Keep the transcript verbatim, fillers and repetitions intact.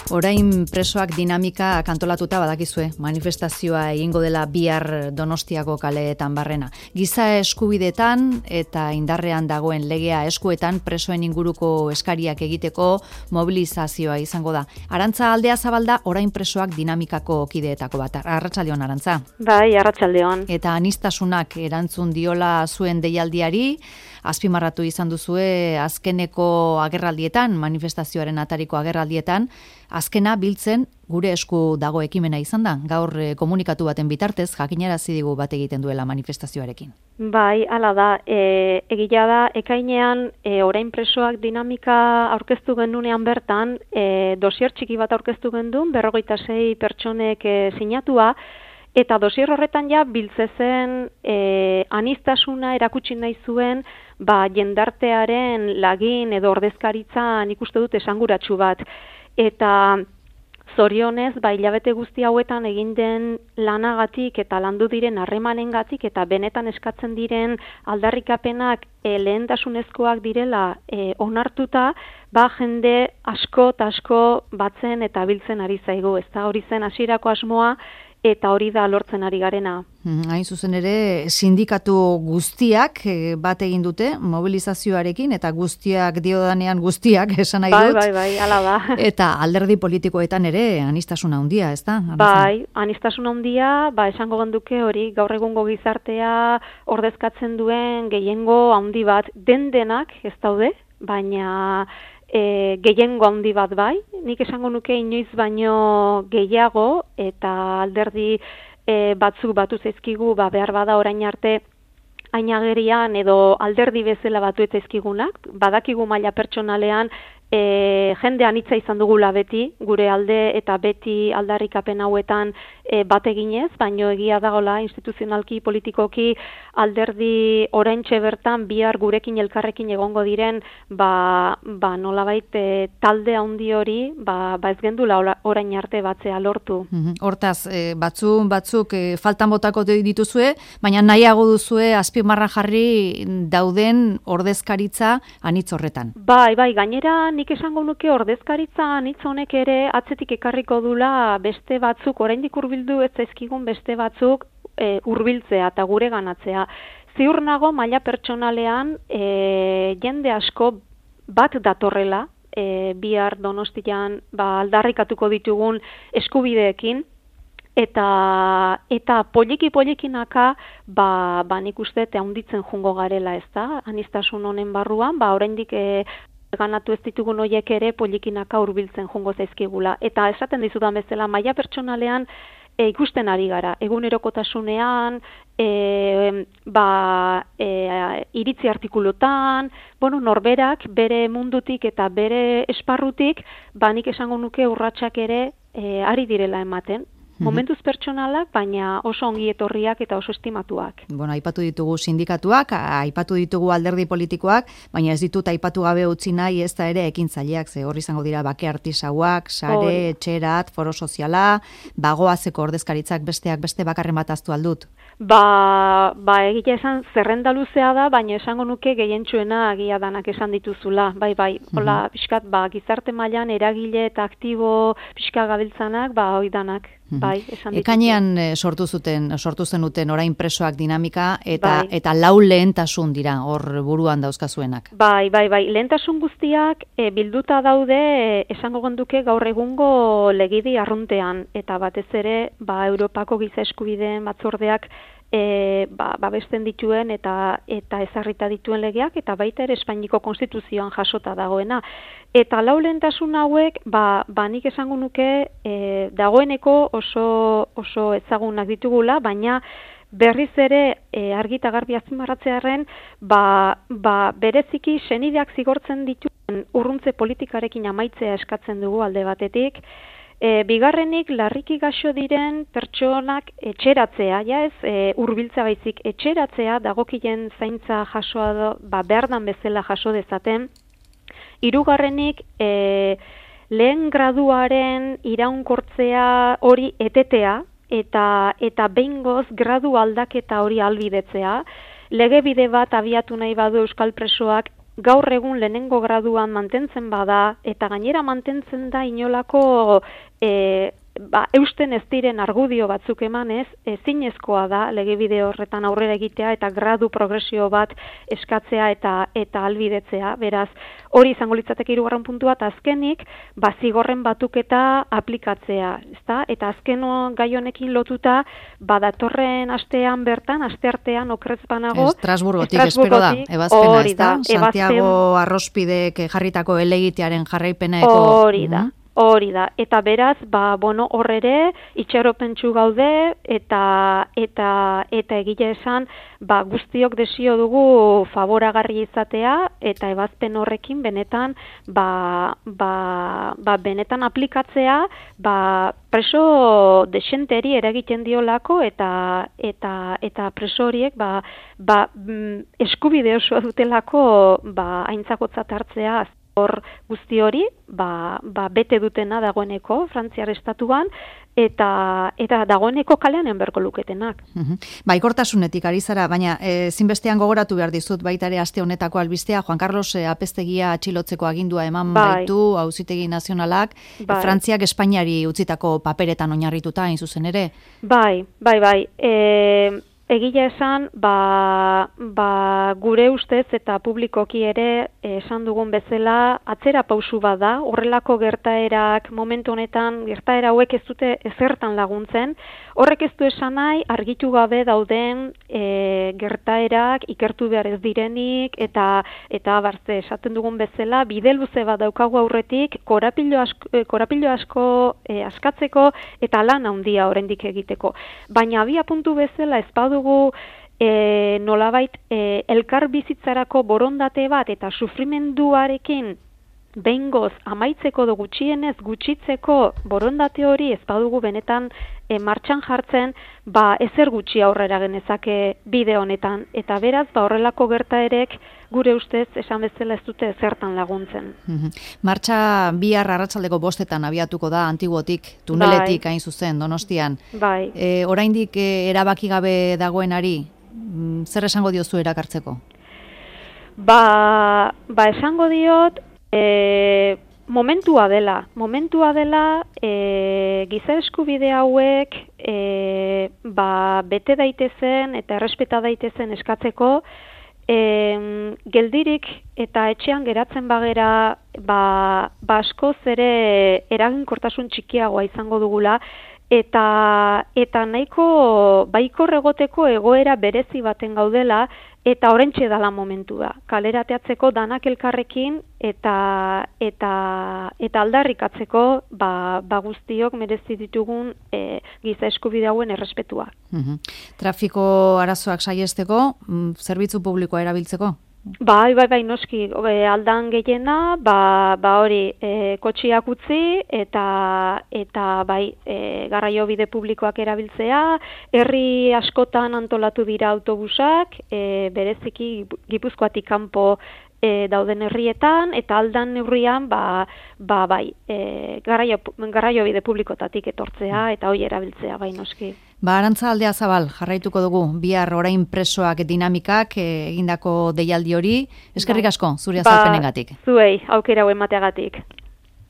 Orain presoak dinamika kantolatuta badakizue, manifestazioa egingo dela bihar Donostiako kaleetan barrena. Giza eskubidetan eta indarrean dagoen legea eskuetan presoen inguruko eskariak egiteko mobilizazioa izango da. Arantza Aldea Zabalda orain presoak dinamikako kideetako bat. Arratsaldeon, Arantza. Bai, arratsaldeon. Eta aniztasunak erantzun diola zuen deialdiari, azpimarratu izan duzue azkeneko agerraldietan, manifestazioaren atariko agerraldietan, azkena biltzen gure esku dago ekimena izan da. Gaur eh, komunikatu baten bitartez jakinarazi digu bat egiten duela manifestazioarekin. Bai, hala da. E, egia da, ekainean e, orain presoak dinamika aurkeztu genunean bertan, e, dosier txiki bat aurkeztu gendun, berrogeita sei pertsonek e, sinatua, eta dosier horretan ja biltzezen e, aniztasuna erakutsi nahi zuen, ba, jendartearen lagin edo ordezkaritza nik uste dut esanguratsu bat. Eta zorionez, ba, hilabete guzti hauetan egin den lanagatik eta landu diren harremanengatik eta benetan eskatzen diren aldarrikapenak e, lehentasunezkoak direla e, onartuta, ba, jende asko eta asko batzen eta biltzen ari zaigu. Ez da hori zen hasierako asmoa, eta hori da lortzen ari garena. Hain zuzen ere, sindikatu guztiak bat egin dute mobilizazioarekin, eta guztiak diodanean guztiak esan nahi dut. Bai, bai, bai, hala da. Eta alderdi politikoetan ere anistasuna handia, ez da? Bai, anistasuna handia, ba, esango genduke hori gaur egungo gizartea ordezkatzen duen gehiengo handi bat, den denak ez daude, baina E, gehiengo handi bat bai, nik esango nuke inoiz baino gehiago eta alderdi e, batzuk batu zaizkigu, ba, behar bada orain arte ainagerian edo alderdi bezala batu ez zaizkigunak, badakigu maila pertsonalean e, jende anitza izan dugula beti, gure alde eta beti aldarrikapen hauetan e, bat eginez, baino egia dagola instituzionalki, politikoki, alderdi oraintxe bertan bihar gurekin elkarrekin egongo diren, ba, ba nolabait e, talde handi hori, ba, ba ez gendula orain arte batzea lortu. Hortaz, e, batzu, batzuk e, faltan botako dituzue, baina nahiago duzue azpimarra jarri dauden ordezkaritza anitz horretan. Bai, bai, gainera nik esango nuke ordezkaritza anitz honek ere atzetik ekarriko dula beste batzuk, oraindik hurbildu ez zaizkigun beste batzuk e, hurbiltzea eta gure ganatzea. Ziur nago maila pertsonalean e, jende asko bat datorrela, e, bihar Donostian ba, aldarrikatuko ditugun eskubideekin, eta eta poliki polikinaka ba, ba nik uste eta handitzen jungo garela, ez da, anistasun honen barruan, ba oraindik e, ganatu ez ditugun horiek ere polikinaka hurbiltzen jungo zaizkigula. Eta esaten dizudan bezala, maila pertsonalean e, ikusten ari gara, egunerokotasunean, e, ba, e, iritzi artikulutan, bueno, norberak bere mundutik eta bere esparrutik, ba nik esango nuke urratsak ere e, ari direla ematen. Momentuz pertsonalak, baina oso ongi etorriak eta oso estimatuak. Bueno, aipatu ditugu sindikatuak, aipatu ditugu alderdi politikoak, baina ez ditut aipatu gabe utzi nahi ez da ere ekintzaileak, ze hor izango dira bake artisauak, sare, etxerat, foro soziala, bagoazeko ordezkaritzak besteak beste bakarren bat aztu aldut. Ba, ba egia esan zerrenda luzea da, baina esango nuke gehientsuena agia danak esan dituzula. Bai, bai, hola, mm-hmm. pixkat, ba, gizarte mailan eragile eta aktibo pixka gabiltzanak, ba, hoi danak. Bai, esan dituzula. Ekainean sortu zuten, sortu zenuten orain presoak dinamika eta bai. Eta lau lehentasun dira hor buruan dauzkazuenak. Bai, bai, bai, lehentasun guztiak e, bilduta daude e, esango genduke gaur egungo legidi arruntean eta batez ere, ba, Europako giza eskubideen batzordeak E, ba, babesten dituen eta eta ezarrita dituen legeak eta baita ere Espainiako konstituzioan jasota dagoena. Eta lau lehentasun hauek, ba, ba nik esango nuke e, dagoeneko oso, oso ezagunak ditugula, baina berriz ere e, argi eta garbi azpimarratzearren, ba, ba bereziki senideak zigortzen dituen urruntze politikarekin amaitzea eskatzen dugu alde batetik. E, bigarrenik, larriki gaixo diren pertsonak etxeratzea, ja ez, e, hurbiltza baizik etxeratzea, dagokien zaintza jasoa do, ba, berdan bezala jaso dezaten. Hirugarrenik, e, lehen graduaren iraunkortzea hori etetea, eta, eta behingoz gradu aldaketa hori albidetzea. Lege bide bat abiatu nahi badu euskal presoak gaur egun lehenengo graduan mantentzen bada, eta gainera mantentzen da inolako e, ba, eusten ez diren argudio batzuk emanez, ezinezkoa da legebide horretan aurrera egitea eta gradu progresio bat eskatzea eta eta albidetzea. Beraz, hori izango litzateke hirugarren puntua, eta azkenik, ba, zigorren batuketa aplikatzea, ezta? Eta azken gai honekin lotuta, ba, datorren astean bertan, asteartean okrez banago, Estrasburgotik espero da, ebazpena, ezta? Santiago Arrospidek jarritako helegitearen jarraipeneko. Hori da. Hori da, eta beraz, ba, bueno, hor ere, itxaropentsu gaude, eta eta eta egile esan, ba, guztiok desio dugu favoragarri izatea, eta ebazpen horrekin benetan, ba, ba, ba, benetan aplikatzea, ba, preso desenteri eragiten diolako, eta eta eta preso horiek, ba, ba, eskubide osoa dutelako, ba, aintzakotzat hartzea, hor guzti hori, ba, ba, bete dutena dagoeneko, Frantziar estatuan, eta eta dagoeneko kalean enberko luketenak. Uh-huh. Baikortasunetik ari zara, baina e, zinbestean gogoratu behar dizut, baita ere aste honetako albistea, Juan Carlos e, Apeztegia atxilotzeko agindua eman bai. baitu, Auzitegi Nazionalak, bai. Frantziak Espainiari utzitako paperetan oinarrituta, hain zuzen ere? Bai, bai, bai. E, Egia esan, ba, ba, gure ustez eta publikoki ere esan dugun bezala atzera pausu bat da, horrelako gertaerak momentu honetan gertaera hauek ez dute ezertan laguntzen, horrek ez du esan nahi argitu gabe dauden e, gertaerak ikertu behar ez direnik eta eta barze esaten dugun bezala bide luze bat daukagu aurretik korapilo asko, korapilo asko e, askatzeko eta lan handia oraindik egiteko. Baina abia puntu bezala ez badu dugu e, nolabait e, elkar bizitzarako borondate bat eta sufrimenduarekin behingoz amaitzeko do gutxienez gutxitzeko borondate hori ez badugu benetan e, martxan jartzen, ba ezer gutxi aurrera genezake bide honetan eta beraz ba horrelako gertaerek gure ustez esan bezala ez dute ezertan laguntzen. Mm-hmm. Martxa bihar arratsaldeko bostetan abiatuko da Antiguotik, tuneletik bai. Hain zuzen Donostian. Bai. E, oraindik e, erabaki gabe dagoenari, mm, zer esango diozu erakartzeko? Ba, ba esango diot E, momentua dela, momentua dela e, giza eskubide hauek e, ba, bete daitezen eta errespeta daitezen eskatzeko e, geldirik eta etxean geratzen bagera ba, ba askoz ere eraginkortasun txikiagoa izango dugula eta eta nahiko baikor egoteko egoera berezi baten gaudela eta oraintxe dala momentua. Kalerateatzeko danak elkarrekin eta eta eta aldarrikatzeko ba, ba guztiok merezi ditugun e, giza eskubide hauen errespetua. Uh-huh. Trafiko arazoak saihesteko, zerbitzu publikoa erabiltzeko? Bai, bai, bai, noski, aldan gehiena, ba, ba hori, e, kotxiak utzi eta eta bai, e, garraiobide publikoak erabiltzea, herri askotan antolatu dira autobusak, e, bereziki Gipuzkoatik kanpo e, dauden herrietan, eta aldan neurrian, ba, ba bai, e, garraio, garraiobide publikotatik etortzea, eta hori erabiltzea, bai, noski. Ba, Arantza Aldea Zabal, jarraituko dugu, bihar orain presoak dinamikak egindako deialdi hori, eskerrik asko, zure azalpenengatik. Ba, zuei, aukera hau emateagatik.